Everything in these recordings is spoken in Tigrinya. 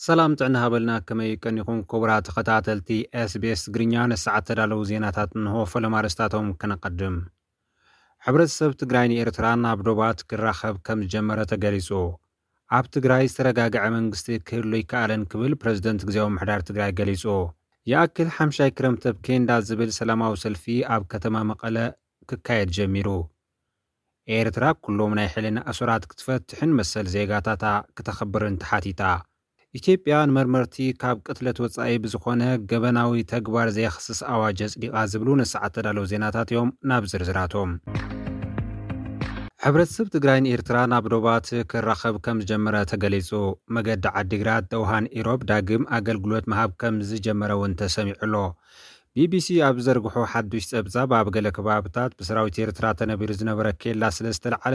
ሰላም ጥዕና ሃበልና፣ ከመይ ቀኒኹም ክቡራት ተኸታተልቲ ኤስቢኤስ ትግርኛ? ንሰዓት ተዳለዉ ዜናታት እንሆ። ፈለማ ኣርእስታቶም ከነቐድም። ሕብረተሰብ ትግራይ ንኤርትራ ናብ ዶባት ክራኸብ ከም ዝጀመረ ተገሊጹ። ኣብ ትግራይ ዝተረጋግዐ መንግስቲ ክህሉ ኣይከኣለን ክብል ፕረዚደንት ግዜያዊ ምምሕዳር ትግራይ ገሊጹ። ይኣክል ሓምሻይ ክረምቲ ኣብ ኬንዳ ዝብል ሰላማዊ ሰልፊ ኣብ ከተማ መቐለ ክካየድ ጀሚሩ። ኤርትራ ኩሎም ናይ ሕልና ኣሱራት ክትፈትሕን መሰል ዜጋታታ ክተኽብርን ተሓቲታ። ኢትዮጵያ ንመርመርቲ ካብ ቅትለት ወጻኢ ብዝኾነ ገበናዊ ተግባር ዘየኽስስ ኣዋጅ ኣጽዲቓ ዝብሉ ንሰዓት ተዳለዉ ዜናታት እዮም። ናብ ዝርዝራቶም። ሕብረተሰብ ትግራይን ኤርትራ ናብ ዶባት ክራኸብ ከም ዝጀመረ ተገሊጹ። መገዲ ዓዲግራት ደውሃን ኢሮብ ዳግም ኣገልግሎት ምሃብ ከም ዝጀመረ እውን ተሰሚዑ ኣሎ። ቢቢሲ ኣብ ዝዘርግሖ ሓዱሽ ጸብጻብ፣ ኣብ ገለ ከባብታት ብሰራዊት ኤርትራ ተነቢሩ ዝነበረ ኬላ ስለ ዝተለዓለ፣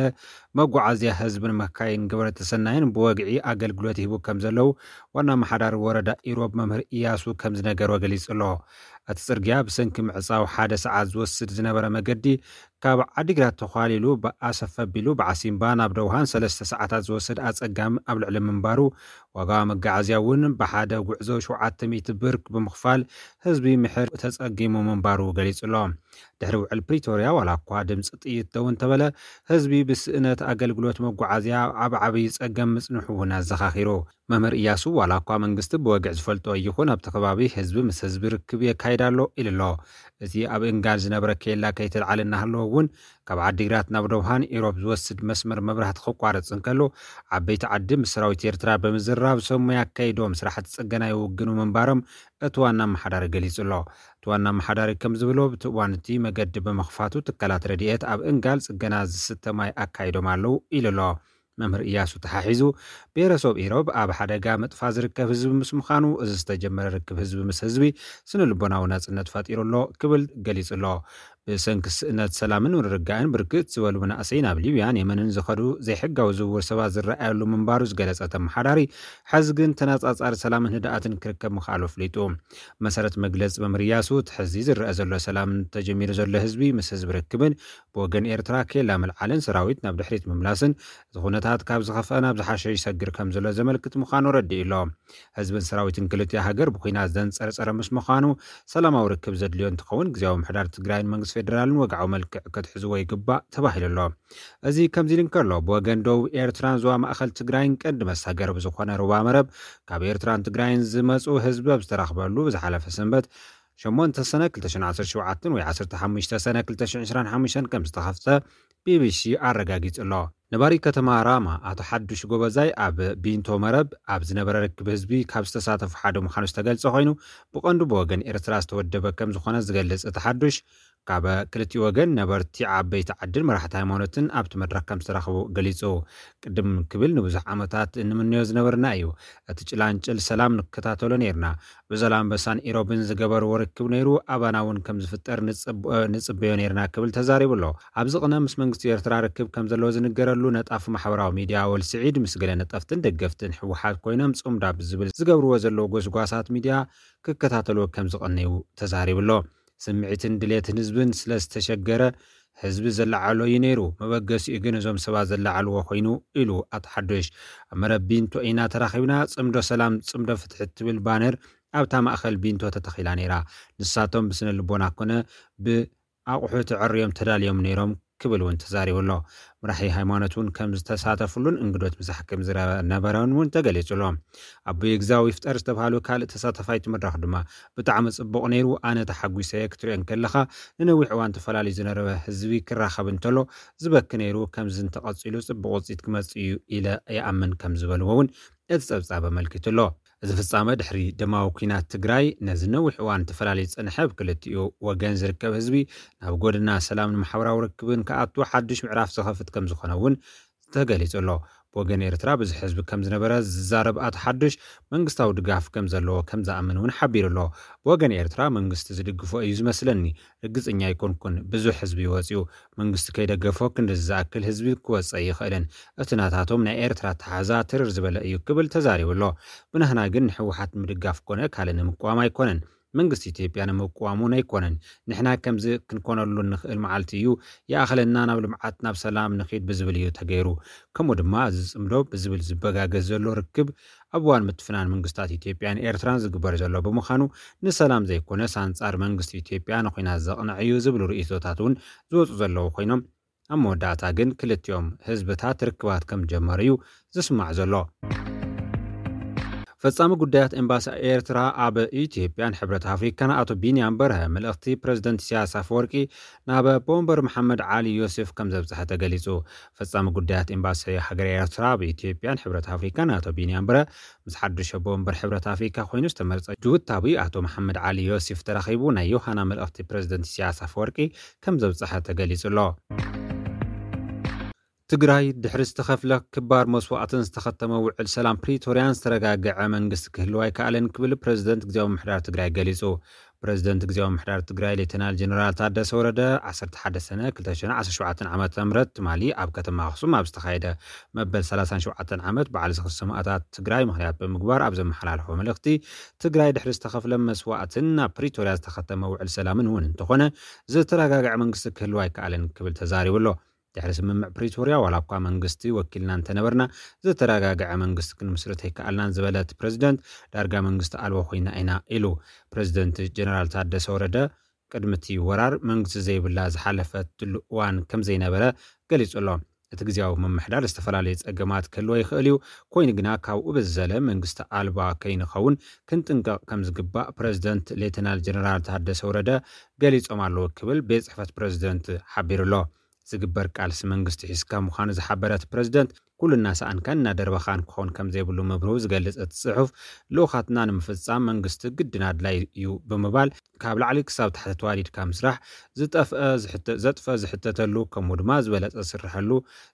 መጓዓዝያ ህዝብን መካይን ግብረ ተሰናይን ብወግዒ ኣገልግሎት ይህቡ ከም ዘለዉ ዋና ኣመሓዳሪ ወረዳ ኢሮብ መምህር ኢያሱ ከም ዝነገሮ ገሊጹ ኣሎ። እቲ ጽርግያ ብሰንኪ ምዕጻው ሓደ ሰዓት ዝወስድ ዝነበረ መገዲ ካብ ዓዲግራት ተዃሊሉ ብኣሰፍ ኣቢሉ ብዓሲምባ ናብ ደውሃን ሰለስተ ሰዓታት ዝወስድ ኣጸጋሚ ኣብ ልዕሊ ምንባሩ፣ ዋጋ መጋዓዝያ እውን ብሓደ ጉዕዞ ሸውዓተ ሚእቲ ብር ብምኽፋል ህዝቢ ምሕር ተጸጊሙ ምንባሩ ገሊጹ ኣሎ። ድሕሪ ውዕል ፕሪቶርያ ዋላ እኳ ድምፂ ጥይት ደው እንተበለ፣ ህዝቢ ብስእነት ኣገልግሎት መጓዓዝያ ኣብ ዓብዪ ጸገም ምጽንሑ እውን ኣዘኻኺሩ። መምህር ኢያሱ ዋላ እኳ መንግስቲ ብወግዒ ዝፈልጦ ይኹን ኣብቲ ከባቢ ህዝቢ ምስ ህዝቢ ርክብ የካይድ ኣሎ ኢሉ ኣሎ። እቲ ኣብ እንጋል ዝነበረ ኬላ ከይተልዓለ እናሃለወ እውን ካብ ዓዲግራት ናብ ደውሃን ኢሮብ ዝወስድ መስመር መብራህቲ ክቋረጽ እንከሎ፣ ዓበይቲ ዓዲ ምስ ሰራዊት ኤርትራ ብምዝራብ ሰሙይ ኣካይዶም ስራሕቲ ጽገና ይውግኑ ምንባሮም እቲ ዋና ኣመሓዳሪ ገሊጹ ኣሎ። እቲ ዋና ኣመሓዳሪ ከም ዝብሎ፣ ብቲ እዋን እቲ መገዲ ብምኽፋቱ ትካላት ረድኤት ኣብ እንጋል ጽገና ዝስተ ማይ ኣካይዶም ኣለዉ ኢሉ ኣሎ። መምህር ኢያሱ ተሓሒዙ፣ ብሄረሰብ ኢሮብ ኣብ ሓደጋ ምጥፋ ዝርከብ ህዝቢ ምስ ምዃኑ፣ እዚ ዝተጀመረ ርክብ ህዝቢ ምስ ህዝቢ ስነ ልቦናዊ ናጽነት ፈጢሩ ኣሎ ክብል ገሊጹ ኣሎ። ብሰንኪ ስእነት ሰላምን ምርግጋእን ብርክት ዝበሉ መናእሰይ ናብ ሊብያን የመንን ዝኸዱ ዘይሕጋዊ ዝውውር ሰባት ዝረኣየሉ ምንባሩ ዝገለጸ እቲ ኣመሓዳሪ፣ ሕዚ ግን ተነጻጻሪ ሰላምን ህድኣትን ክርከብ ምኽኣሉ ኣፍሊጡ። መሰረት መግለጺ መምህር ኢያሱ፣ እቲ ሕዚ ዝረአ ዘሎ ሰላም ተጀሚሩ ዘሎ ህዝቢ ምስ ህዝቢ ርክብን ብወገን ኤርትራ ኬላ ምልዓልን ሰራዊት ናብ ድሕሪት ምምላስን፣ እቲ ኩነታት ካብ ዝኸፍአ ናብ ዝሓሸ ይሰግር ከም ዘሎ ዘመልክት ምዃኑ ኣረዲኡ ኣሎ። ህዝብን ሰራዊትን ክልቲኡ ሃገር ብኲናት ዘንጸርጸረ ምስ ምዃኑ፣ ሰላማዊ ርክብ ዘድልዮ እንትኸውን፣ ግዝያዊ ምምሕዳር ትግራይን መንግስቲ ፌደራልን ወግዓዊ መልክዕ ክትሕዝዎ ይግባእ ተባሂሉ ኣሎ። እዚ ከምዚ ኢሉ እንከሎ፣ ብወገን ደቡብ ኤርትራን ዞባ ማእኸል ትግራይን ቀንዲ መሳገሪ ብዝኾነ ሩባ መረብ ካብ ኤርትራን ትግራይን ዝመጹ ህዝቢ ኣብ ዝተረኽበሉ ብዝሓለፈ ሰንበት ሸሞንተ ሰነ ክልተ ሽሕን ዓሰርተ ሸውዓተን ወይ ዓሰርተ ሓሙሽተ ሰነ ክልተ ሽሕን ዕስራን ሓሙሽተን ከም ዝተኸፍተ ቢቢሲ ኣረጋጊጹ ኣሎ። ነባሪ ከተማ ራማ ኣቶ ሓዱሽ ጎበዛይ ኣብ ቢንቶ መረብ ኣብ ዝነበረ ርክብ ህዝቢ ካብ ዝተሳተፉ ሓደ ምዃኑ ዝተገልጸ ኮይኑ፣ ብቐንዱ ብወገን ኤርትራ ዝተወደበ ከም ዝኾነ ዝገልጽ እቲ ሓዱሽ፣ ካብ ክልቲኡ ወገን ነበርቲ ዓበይቲ ዓድን መራሕቲ ሃይማኖትን ኣብቲ መድረኽ ከም ዝተረኸቡ ገሊጹ። ቅድም ክብል ንብዙሕ ዓመታት እንምነዮ ዝነበርና እዩ። እቲ ጭላንጭል ሰላም ንከታተሎ ነይርና። ብዘላንበሳን ኢሮብን ዝገበርዎ ርክብ ነይሩ፣ ኣባና እውን ከም ዝፍጠር ንጽብ-፣ ንጽበዮ ነይርና ክብል ተዛሪቡ ኣሎ። ኣብዚ ቅነ ምስ መንግስቲ ኤርትራ ርክብ ከም ዘለዎ ዝንገረሉ ነጣፊ ማሕበራዊ ሚድያ ኣወል ስዒድ፣ ምስ ገለ ነጠፍትን ደገፍትን ህወሓት ኮይኖም ጽምዶ ኣብ ዝብል ዝገብርዎ ዘለዉ ጎስጓሳት ሚድያ ክከታተልዎ ከም ዝቐነዩ ተዛሪቡ ኣሎ። ስምዒትን ድሌትን ህዝብን ስለ ዝተሸገረ ህዝቢ ዘለዓዕሎ እዩ ነይሩ። መበገሲኡ ግን እዞም ሰባት ዘለዓዕልዎ ኮይኑ ኢሉ ኣቶ ሓዱሽ። ኣብ መረብ ቢንቶ ኢና ተራኺብና፣ ጽምዶ ሰላም፣ ጽምዶ ፍትሒ እትብል ባነር ኣብታ ማእኸል ቢንቶ ተተኺላ ነይራ። ንሳቶም ብስነ ልቦና ኮነ ብኣቑሑ ተዐርዮም ተዳልዮም ነይሮም ክብል እውን ተዛሪቡ ኣሎ። መራሒ ሃይማኖት እውን ከም ዝተሳተፍሉን እንግዶት ብዛሕ ከም ዝነበረን እውን ተገሊጹ ኣሎ። ኣቦይ ግዛው ይፍጠር ዝተባሃሉ ካልእ ተሳታፋይ እቲ መድረኽ ድማ፣ "ብጣዕሚ ጽቡቕ ነይሩ፣ ኣነ ተሓጒሰ እየ ክትሪኦ እንከለኻ፣ ንነዊሕ እዋን ተፈላለዩ ዝነበረ ህዝቢ ክራኸብ እንተሎ ዝበኪ ነይሩ፣ ከምዚ እንተቐጺሉ ጽቡቕ ውጽኢት ክመጽእ እዩ ኢለ ይኣምን" ከም ዝበልዎ እውን እቲ ጸብጻብ ኣመልኪቱ ኣሎ። እዚ ፍጻመ ድሕሪ ደማዊ ኲናት ትግራይ ነዚ ነዊሕ እዋን ተፈላለዩ ዝጸንሐ፣ ኣብ ክልቲኡ ወገን ዝርከብ ህዝቢ ናብ ጎደና ሰላምን ማሕበራዊ ርክብን ክኣቱ ሓድሽ ምዕራፍ ዝኸፍት ከም ዝኾነ እውን ተገሊጹ ኣሎ። ብወገን ኤርትራ ብዙሕ ህዝቢ ከም ዝነበረ ዝዛረብ ኣቶ ሓዱሽ፣ መንግስታዊ ድጋፍ ከም ዘለዎ ከም ዝኣምን እውን ሓቢሩ ኣሎ። ብወገን ኤርትራ መንግስቲ ዝድግፎ እዩ ዝመስለኒ፣ ርግጽኛ ኣይኮንኩን። ብዙሕ ህዝቢ እዩ ወጺኡ። መንግስቲ ከይደገፎ ክንድዚ ዝኣክል ህዝቢ ክወጽእ ኣይኽእልን። እቲ ናታቶም ናይ ኤርትራ ኣተሓሕዛ ትርር ዝበለ እዩ ክብል ተዛሪቡ ኣሎ። ብናህና ግን ንህወሓት ንምድጋፍ ኮነ ካልእ ንምቅዋም ኣይኮነን። መንግስቲ ኢትዮጵያ ንምቅዋም እውን ኣይኮነን። ንሕና ከምዚ ክንኮነሉ እንኽእል መዓልቲ እዩ፣ ይኣኽለና፣ ናብ ልምዓት ናብ ሰላም ንኺድ ብዝብል እዩ ተገይሩ። ከምኡ ድማ እዚ ዝጽምዶ ብዝብል ዝበጋገዝ ዘሎ ርክብ ኣብ እዋን ምትፍናን መንግስታት ኢትዮጵያን ኤርትራን ዝግበር ዘሎ ብምዃኑ ንሰላም ዘይኮነስ ኣንጻር መንግስቲ ኢትዮጵያ ንኹናት ዘቕንዕ እዩ ዝብሉ ርእይቶታት እውን ዝወፁ ዘለዉ ኮይኖም ኣብ መወዳእታ ግን ክልቲኦም ህዝብታት ርክባት ከም ጀመሩ እዩ ዝስማዕ ዘሎ። ፈጻሚ ጉዳያት ኤምባሲ ኤርትራ ኣብ ኢትዮጵያን ሕብረት ኣፍሪካን ኣቶ ቢንያም በርሀ መልእኽቲ ፕሬዝደንት ኢሳያስ ኣፈወርቂ ናብ ቦምበር መሓመድ ዓሊ ዮሴፍ ከም ዘብጽሐ ተገሊጹ። ፈጻሚ ጉዳያት ኤምባሲ ሃገር ኤርትራ ኣብ ኢትዮጵያን ሕብረት ኣፍሪካን ኣቶ ቢንያም በርሀ ምስ ሓዱሽ ቦምበር ሕብረት ኣፍሪካ ኮይኑ ዝተመርጸ ጅቡታዊ ኣቶ መሓመድ ዓሊ ዮሴፍ ተራኺቡ ናይ ዮሃና መልእኽቲ ፕሬዝደንት ኢሳያስ ኣፈወርቂ ከም ዘብጽሐ ተገሊጹ ኣሎ። ትግራይ ድሕሪ ዝተኸፍለ ክባር መስዋእትን ዝተኸተመ ውዕል ሰላም ፕሪቶርያን ዝተረጋገዐ መንግስቲ ክህልው ኣይከኣለን ክብል ፕሬዝደንት ግዜያዊ ምምሕዳር ትግራይ ገሊጹ። ፕሬዝደንት ግዜያዊ ምምሕዳር ትግራይ ሌተናል ጀነራል ታደሰ ወረደ ዓሰርተ ሓደ ሰነ ክልተ ሽሕን ዓሰርተ ሸውዓተን ዓመተ ምህረት ትማሊ ኣብ ከተማ ኣኽሱም ኣብ ዝተኻየደ መበል ሰላሳን ሸውዓተን ዓመት በዓል ዝኽሪ ሰማእታት ትግራይ ምኽንያት ብምግባር ኣብ ዘመሓላለፎ መልእኽቲ ትግራይ ድሕሪ ዝተኸፍለ መስዋእትን ናብ ፕሪቶርያ ዝተኸተመ ውዕል ሰላምን እውን እንተኾነ ዝተረጋገዐ መንግስቲ ክህልው ኣይከኣለን ክብል ተዛሪቡ ኣሎ። ድሕሪ ስምምዕ ፕሪቶርያ ዋላ እኳ መንግስቲ ወኪልና እንተነበርና ዝተረጋገዐ መንግስቲ ክንምስርት ኣይከኣልናን ዝበለት ፕሬዝደንት ዳርጋ መንግስቲ ኣልቦ ኮይና ኢና ኢሉ። ፕሬዝደንት ጀነራል ታደሰ ወረደ ቅድሚ እቲ ወራር መንግስቲ ዘይብላ ዝሓለፈትሉ እዋን ከም ዘይነበረ ገሊጹ ኣሎ። እቲ ግዜያዊ ምምሕዳር ዝተፈላለዩ ጸገማት ክህልዎ ይኽእል እዩ። ኮይኑ ግና ካብኡ ብዝዘለ መንግስቲ ኣልባ ከይንኸውን ክንጥንቀቕ ከም ዝግባእ ፕሬዝደንት ሌተናል ጀነራል ታደሰ ወረደ ገሊጾም ኣለዉ ክብል ቤት ጽሕፈት ፕሬዝደንት ሓቢሩ ኣሎ። ዝግበር ቃልሲ መንግስቲ ሒዝካ ምዃኑ ዝሓበረ እቲ ፕሬዝደንት ኩሉ እናሰኣንካን እናደርበኻን ክኸውን ከም ዘይብሉ ምብርሁ ዝገልጽ እቲ ጽሑፍ ልኡኻትና ንምፍጻም መንግስቲ ግድን ኣድላይ እዩ ብምባል ካብ ላዕሊ ክሳብ ታሕቲ ተዋዲድካ ምስራሕ ዝጠፍአ ዝሕተ- ዘጥፈ ዝሕተተሉ ከምኡ ድማ ዝበለጸ ዝስርሐሉ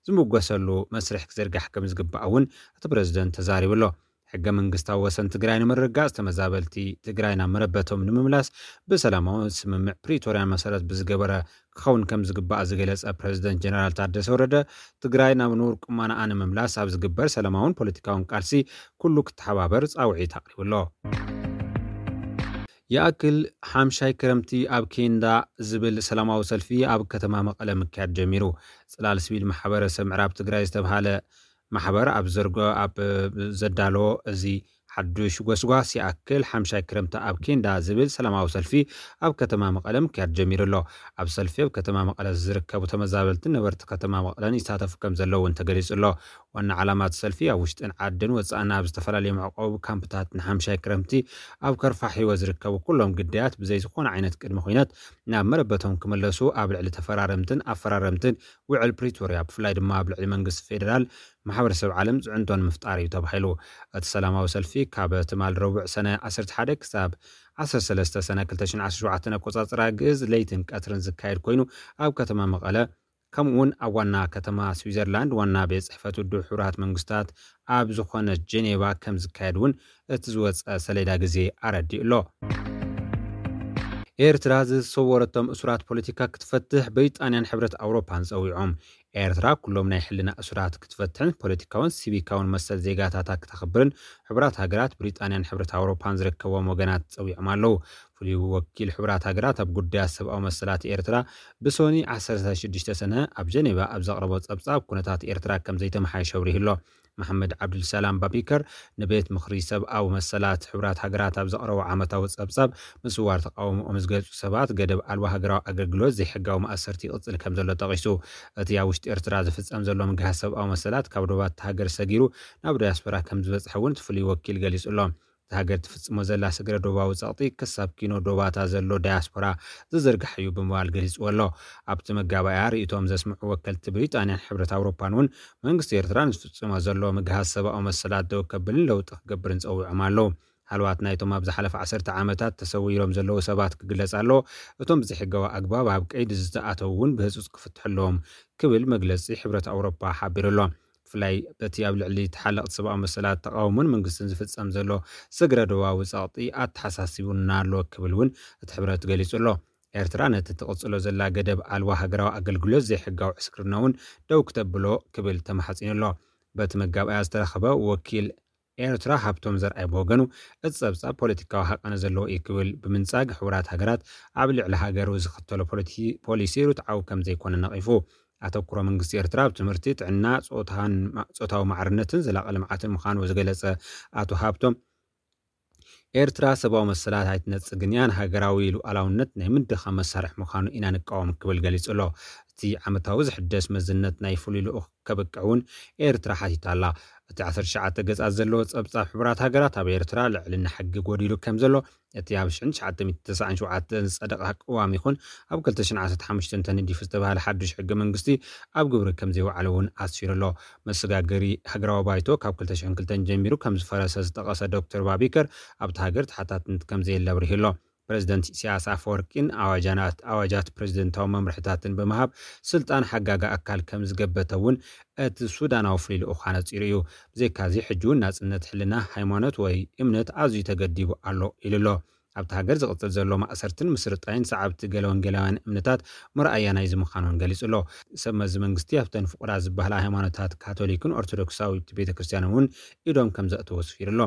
ዝምጎሰሉ መስርሕ ክዝርጋሕ ከም ዝግባእ እውን እቲ ፕሬዝደንት ተዛሪቡ ኣሎ። ሕገ መንግስታዊ ወሰን ትግራይ ንምርግጋጽ ተመዛበልቲ ትግራይ ናብ መረበቶም ንምምላስ ብሰላማዊ ስምምዕ ፕሪቶርያ መሰረት ብዝገበረ ክኸውን ከም ዝግባእ ዝገለጸ ፕሬዝደንት ጀነራል ታደሰ ወረደ ትግራይ ናብ ንቡር ቁመናኣ ንምምላስ ኣብ ዝግበር ሰላማውን ፖለቲካውን ቃልሲ ኩሉ ክተሓባበር ጻውዒት ኣቕሪቡ ኣሎ። ይኣክል ሓምሻይ ክረምቲ ኣብ ኬንዳ ዝብል ሰላማዊ ሰልፊ ኣብ ከተማ መቐለ ምክያድ ጀሚሩ። ጽላል ሲቪል ማሕበረሰብ ምዕራብ ትግራይ ዝተብሃለ ማሕበር ኣብ ዘርጎ ኣብ ዘዳለዎ እዚ ሓዱሽ ጎስጓስ ይኣክል ሓምሻይ ክረምቲ ኣብ ኬንዳ ዝብል ሰላማዊ ሰልፊ ኣብ ከተማ መቐለ ምክያድ ጀሚሩ ኣሎ። ኣብ ሰልፊ ኣብ ከተማ መቐለ ዝርከቡ ተመዛበልትን ነበርቲ ከተማ መቐለን ይሳተፉ ከም ዘለዉ እውን ተገሊጹ ኣሎ። ዋና ዓላማ እቲ ሰልፊ ኣብ ውሽጥን ዓድን ወጻእን ኣብ ዝተፈላለዩ መዕቆቢ ካምፕታት ንሓምሻይ ክረምቲ ኣብ ከርፋ ህይወት ዝርከቡ ኩሎም ግዳያት ብዘይ ዝኾነ ዓይነት ቅድመ ኩነት ናብ መረበቶም ክምለሱ ኣብ ልዕሊ ተፈራረምትን ኣፈራረምትን ውዕል ፕሪቶርያ ብፍላይ ድማ ኣብ ልዕሊ መንግስቲ ፌዴራል ማሕበረሰብ ዓለም ጽዕንቶ ንምፍጣር እዩ ተባሂሉ። እቲ ሰላማዊ ሰልፊ ካብ ትማል ረቡዕ ሰነ ዓሰርተ ሓደ ክሳብ ዓሰርተ ሰለስተ ሰነ ክልተ ሽሕን ዓሰርተ ሸውዓተን ኣቆጻጽራ ግእዝ ለይትን ቀትርን ዝካየድ ኮይኑ ኣብ ከተማ መቐለ ከምኡ እውን ኣብ ዋና ከተማ ስዊዘርላንድ ዋና ቤት ጽሕፈት ውድብ ሕቡራት መንግስታት ኣብ ዝኾነት ጀኔቫ ከም ዝካየድ እውን እቲ ዝወፀ ሰሌዳ ግዜ ኣረዲኡ ኣሎ። ኤርትራ ዝተሰወረቶም እሱራት ፖለቲካ ክትፈትሕ ብሪጣንያን ሕብረት ኣውሮፓን ጸዊዖም። ኤርትራ ኩሎም ናይ ሕልና እሱራት ክትፈትሕን ፖለቲካውን ሲቪካውን መሰል ዜጋታታ ክተኽብርን ሕቡራት ሃገራት ብሪጣንያን ሕብረት ኣውሮፓን ዝርከቦም ወገናት ጸዊዖም ኣለዉ። ፍሉይ ወኪል ሕቡራት ሃገራት ኣብ ጉዳያት ሰብኣዊ መሰላት ኤርትራ ብሶኒ ዓሰርተ ሽዱሽተ ሰነ ኣብ ጀኔቫ ኣብ ዘቕረቦ ጸብጻብ ኩነታት ኤርትራ ከም ዘይተመሓየሸ ኣብሪሁ ኣሎ። መሓመድ ዓብዱልሰላም ባቢከር ንቤት ምኽሪ ሰብኣዊ መሰላት ሕቡራት ሃገራት ኣብ ዘቕረቦ ዓመታዊ ጸብጻብ ምስዋር ተቓውሞኦም ዝገልጹ ሰባት ገደብ ኣልባ ሃገራዊ ኣገልግሎት ዘይሕጋዊ ማእሰርቲ ይቕጽል ከም ዘሎ ጠቒሱ። እቲ ኣብ ውሽጢ ኤርትራ ዝፍጸም ዘሎ ምግሃስ ሰብኣዊ መሰላት ካብ ዶባት ሃገር ሰጊሩ ናብ ዳያስፖራ ከም ዝበጽሐ እውን እቲ ፍሉይ ወኪል ገሊጹ ኣሎ። እታ ሃገር ትፍጽሞ ዘላ ስግረ ዶባዊ ጸቕጢ ክሳብ ኪኖ ዶባታ ዘሎ ዳያስፖራ ዝዝርጋሕ እዩ ብምባል ገሊጽዎ ኣሎ። ኣብቲ መጋባእያ ርእይቶኦም ዘስምዑ ወከልቲ ብሪጣንያን ሕብረት ኣውሮፓን እውን መንግስቲ ኤርትራ ንዝፍጽሞ ዘሎ ምግሃስ ሰብኣዊ መሰላት ደው ከብልን ለውጢ ክገብርን ጸዊዖም ኣለዉ። ሃለዋት ናይቶም ኣብ ዝሓለፈ ዓሰርተ ዓመታት ተሰዊሮም ዘለዉ ሰባት ክግለጽ ኣለዎ። እቶም ብዘይሕጋዊ ኣግባብ ኣብ ቀይዲ ዝተኣተዉ እውን ብህጹጽ ክፍትሑ ኣለዎም ክብል መግለጺ ሕብረት ኣውሮፓ ሓቢሩ ኣሎ። ብፍላይ በቲ ኣብ ልዕሊ ተሓለቕቲ ሰብኣዊ መሰላት ተቓውሞን መንግስትን ዝፍጸም ዘሎ ስግረ ዶባዊ ጸቕጢ ኣተሓሳሲቡና ኣሎ ክብል እውን እቲ ሕብረት ገሊጹ ኣሎ። ኤርትራ ነቲ ትቕጽሎ ዘላ ገደብ ኣልባ ሃገራዊ ኣገልግሎት ዘይሕጋዊ ዕስክርና እውን ደው ክተብሎ ክብል ተማሕጺኑ ኣሎ። በቲ መጋባእያ ዝተረኸበ ወኪል ኤርትራ። ሃብቶም ዘርኣይ ብወገኑ፣ እቲ ጸብጻብ ፖለቲካዊ ሃቀነ ዘለዎ እዩ ክብል ብምንጻግ፣ ሕቡራት ሃገራት ኣብ ልዕሊ ሃገሩ ዝኽተሎ ፖሊሲ ርትዓዊ ከም ዘይኮነ ነቒፉ። ኣተኩሮ መንግስቲ ኤርትራ ኣብ ትምህርቲ፣ ጥዕና፣ ጾታዊ ማዕርነትን ዘላቒ ልምዓትን ምዃኑ ዝገለጸ ኣቶ ሃብቶም፣ ኤርትራ ሰብኣዊ መሰላት ኣይትነጽግን እያ፣ ንሃገራዊ ሉዓላውነት ናይ ምድኻም መሳርሒ ምዃኑ ኢና ንቃወም ክብል ገሊጹ ኣሎ። እቲ ዓመታዊ ዝሕደስ መዝነት ናይ ፍሉይ ልኡኽ ከብቅዕ እውን ኤርትራ ሓቲታ ኣላ። እቲ ዓሰርተ ትሽዓተ ገጻት ዘለዎ ጸብጻብ ሕቡራት ሃገራት ኣብ ኤርትራ ልዕልና ሕጊ ጎዲሉ ከም ዘሎ፣ እቲ ኣብ ሽሕን ትሽዓተ ሚእትን ተስዓን ሸውዓተን ዝጸደቐ ቅዋም ይኹን ኣብ ክልተ ሽሕን ዓሰርተ ሓሙሽተን ተነዲፉ ዝተባህለ ሓድሽ ሕገ መንግስቲ ኣብ ግብሪ ከም ዘይወዓለ እውን ኣስፊሩ ኣሎ። መሰጋገሪ ሃገራዊ ባይቶ ካብ ክልተ ሽሕን ክልተን ጀሚሩ ከም ዝፈረሰ ዝጠቐሰ ዶክተር ባቢከር፣ ኣብቲ ሃገር ተሓታትነት ከም ዘየለ ኣብሪሁ ኣሎ። ፕረዚደንት ኢሳያስ ኣፈወርቂን ኣዋጃት ፕረዚደንታዊ መምርሕታትን ብምሃብ ስልጣን ሓጋጋ ኣካል ከም ዝገበተ እውን እቲ ሱዳናዊ ፍሉይ ልኡኽ ኣነጺሩ እዩ። ብዘይካዚ ሕጂ እውን ናጽነት ሕልና፣ ሃይማኖት ወይ እምነት ኣዝዩ ተገዲቡ ኣሎ ኢሉ ኣሎ። ኣብቲ ሃገር ዝቕጽል ዘሎ ማእሰርትን ምስርጣይን ሰዓብቲ ገለ ወንጌላውያን እምነታት መርኣያ ናይዚ ምዃኑ እውን ገሊጹ ኣሎ። ሰብ መዚ መንግስቲ ኣብተን ፍቑራት ዝበሃላ ሃይማኖታት ካቶሊክን ኦርቶዶክሳዊት ቤተ ክርስቲያንን እውን ኢዶም ከም ዘእተወ ኣስፊሩ ኣሎ።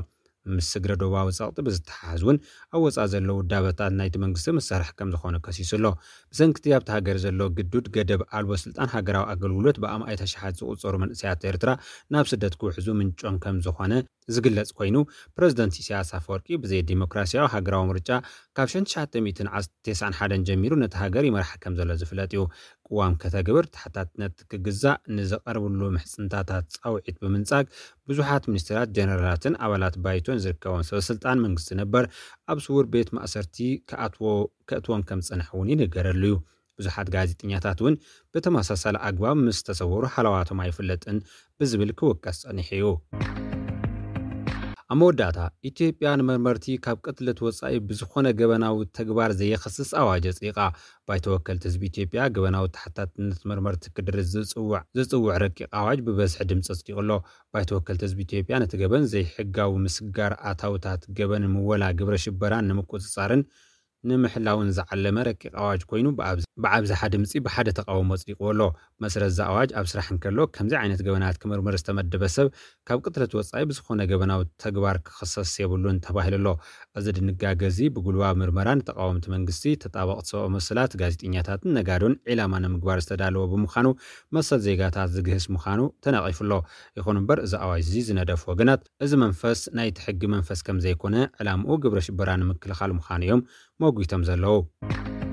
ምስ ስግረ ዶባዊ ጸቕጢ ብዝተሓሓዝ እውን ኣብ ወጻኢ ዘለዉ ውዳበታት ናይቲ መንግስቲ መሳርሒ ከም ዝኾኑ ከሲሱ ኣሎ። ብሰንክቲ ኣብቲ ሃገር ዘሎ ግዱድ ገደብ ኣልቦ ስልጣን ሃገራዊ ኣገልግሎት ብኣማኢት ኣሽሓት ዝቑጸሩ መንእሰያት ኤርትራ ናብ ስደት ክውሕዙ ምንጮም ከም ዝኾነ ዝግለጽ ኮይኑ፣ ፕረዚደንት ኢሳያስ ኣፈወርቂ ብዘይ ዲሞክራሲያዊ ሃገራዊ ምርጫ ካብ ሽሕን ትሽዓተ ሚእትን ተስዓን ሓደን ጀሚሩ ነቲ ሃገር ይመርሓ ከም ዘሎ ዝፍለጥ እዩ። ቅዋም ከተግብር፣ ተሓታትነት ክግዛእ፣ ንዝቐርብሉ ምሕጽንታታት ጻውዒት ብምንጻግ፣ ብዙሓት ሚኒስትራት፣ ጀነራላትን ኣባላት ባይቶን ዝርከቦም ሰበ ስልጣን መንግስቲ ነበር ኣብ ስውር ቤት ማእሰርቲ ክኣትዎ-፣ ከእትዎም ከም ዝጸንሐ እውን ይንገረሉ እዩ። ብዙሓት ጋዜጠኛታት እውን ብተመሳሳሊ ኣግባብ ምስ ተሰወሩ ሃለዋቶም ኣይፍለጥን ብዝብል ክውቀስ ጸኒሑ እዩ። ኣብ መወዳእታ፣ ኢትዮጵያ ንመርመርቲ ካብ ቅትለት ወጻኢ ብዝኾነ ገበናዊ ተግባር ዘየኸስስ ኣዋጅ ኣጽዲቓ። ባይቶ ወከልቲ ህዝቢ ኢትዮጵያ፣ ገበናዊ ተሓታትነት መርመርቲ ክድርዝ ዝጽውዕ፣ ዝጽውዕ ረቂቕ ኣዋጅ ብበዝሒ ድምጺ ኣጽዲቑ ኣሎ። ባይቶ ወከልቲ ህዝቢ ኢትዮጵያ፣ ነቲ ገበን ዘይሕጋዊ ምስጋር ኣታውታት ገበን ምወላ ግብረ ሽበራን ንምቁጽጻርን ንምሕላውን ዝዓለመ ረቂቕ ኣዋጅ ኮይኑ፣ ብኣብዝ-፣ ብኣብዝሓ ድምጺ ብሓደ ተቓውሞ ኣጽዲቕዎ ኣሎ። መሰረት እዚ ኣዋጅ ኣብ ስራሕ እንከሎ፣ ከምዚ ዓይነት ገበናት ክምርምር ዝተመደበ ሰብ ካብ ቅትለት ወጻኢ ብዝኾነ ገበናዊ ተግባር ክኽሰስ የብሉን ተባሂሉ ኣሎ። እዚ ድንጋገ እዚ ብጉልባብ ምርመራ ንተቓወምቲ መንግስቲ፣ ተጣበቕቲ ሰብኣዊ መሰላት፣ ጋዜጠኛታትን ነጋዶን ዒላማ ንምግባር ዝተዳለወ ብምዃኑ፣ መሰል ዜጋታት ዝግህስ ምዃኑ ተነቒፉ ኣሎ። ይኹን እምበር፣ እዚ ኣዋጅ እዚ ዝነደፉ ወገናት፣ እዚ መንፈስ ናይቲ ሕጊ መንፈስ ከም ዘይኮነ፣ ዕላምኡ ግብረ ሽበራ ንምክልኻል ምዃኑ እዮም መጒቶም ዘለዉ።